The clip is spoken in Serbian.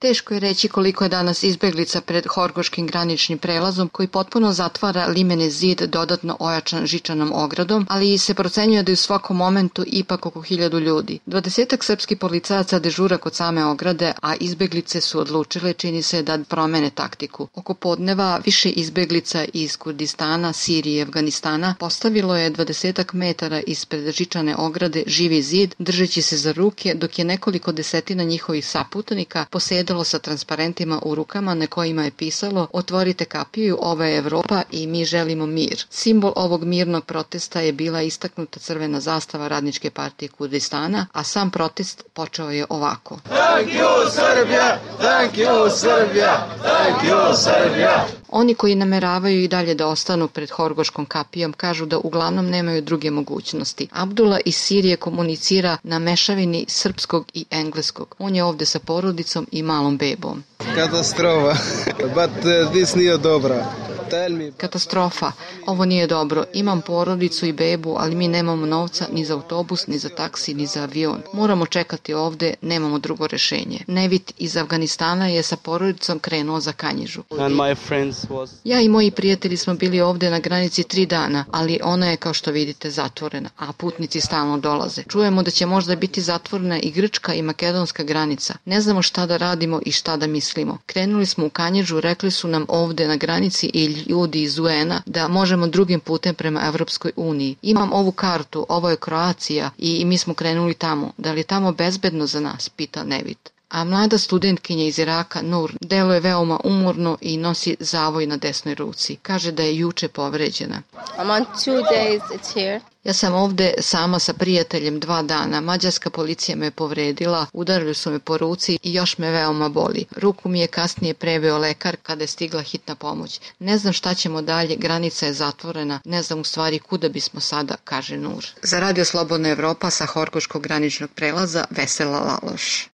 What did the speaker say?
Teško je reći koliko je danas izbeglica pred horgoškim graničnim prelazom koji potpuno zatvara limeni zid dodatno ojačan žičanom ogradom, ali se procenjuje da je u svakom momentu ipak oko 1000 ljudi. 20 srpskih policajaca dežura kod same ograde, a izbeglice su odlučile, čini se, da promene taktiku. Oko podneva više izbeglica iz Kurdistana, Sirije i Afganistana postavilo je 20 metara ispred žičane ograde živi zid, držeći se za ruke, dok je nekoliko desetina njihovih saputnika posedalo sa transparentima u rukama na kojima je pisalo "Otvorite kapiju, ovo je Evropa i mi želimo mir". Simbol ovog mirnog protesta je bila istaknuta crvena zastava Radničke partije Kurdistana, a sam protest počeo je ovako. Thank you, Serbia! Thank you, Serbia! Thank you, Serbia! Oni koji nameravaju i dalje da ostanu pred horgoškom kapijom kažu da uglavnom nemaju druge mogućnosti. Abdullah iz Sirije komunicira na mešavini srpskog i engleskog. On je ovde sa porodicom i malom bebom. Katastrofa, but this nije dobra. Katastrofa, ovo nije dobro. Imam porodicu i bebu, ali mi nemamo novca ni za autobus, ni za taksi, ni za avion. Moramo čekati ovde, nemamo drugo rešenje. Nevit iz Afganistana je sa porodicom krenuo za Kanjižu. Ja i moji prijatelji smo bili ovde na granici 3 dana, ali ona je, kao što vidite, zatvorena, a putnici stalno dolaze. Čujemo da će možda biti zatvorena i grčka i makedonska granica. Ne znamo šta da radimo i šta da mislimo. Krenuli smo u Kanjižu, rekli su nam ovde na granici i ljudi iz UN-a da možemo drugim putem prema Evropskoj uniji. Imam ovu kartu, ovo je Kroacija i mi smo krenuli tamo. Da li je tamo bezbedno za nas, pita Nevit. A mlada studentkinja iz Iraka, Nur, deluje veoma umorno i nosi zavoj na desnoj ruci. Kaže da je juče povređena. I'm on 2 days, it's here. Ja sam ovde sama sa prijateljem 2 dana. Mađarska policija me povredila, udarili su me po ruci i još me veoma boli. Ruku mi je kasnije preveo lekar kada je stigla hitna pomoć. Ne znam šta ćemo dalje, granica je zatvorena, ne znam u stvari kuda bismo sada, kaže Nur. Za Radio Slobodna Evropa sa horgoškog graničnog prelaza Vesela Laloš.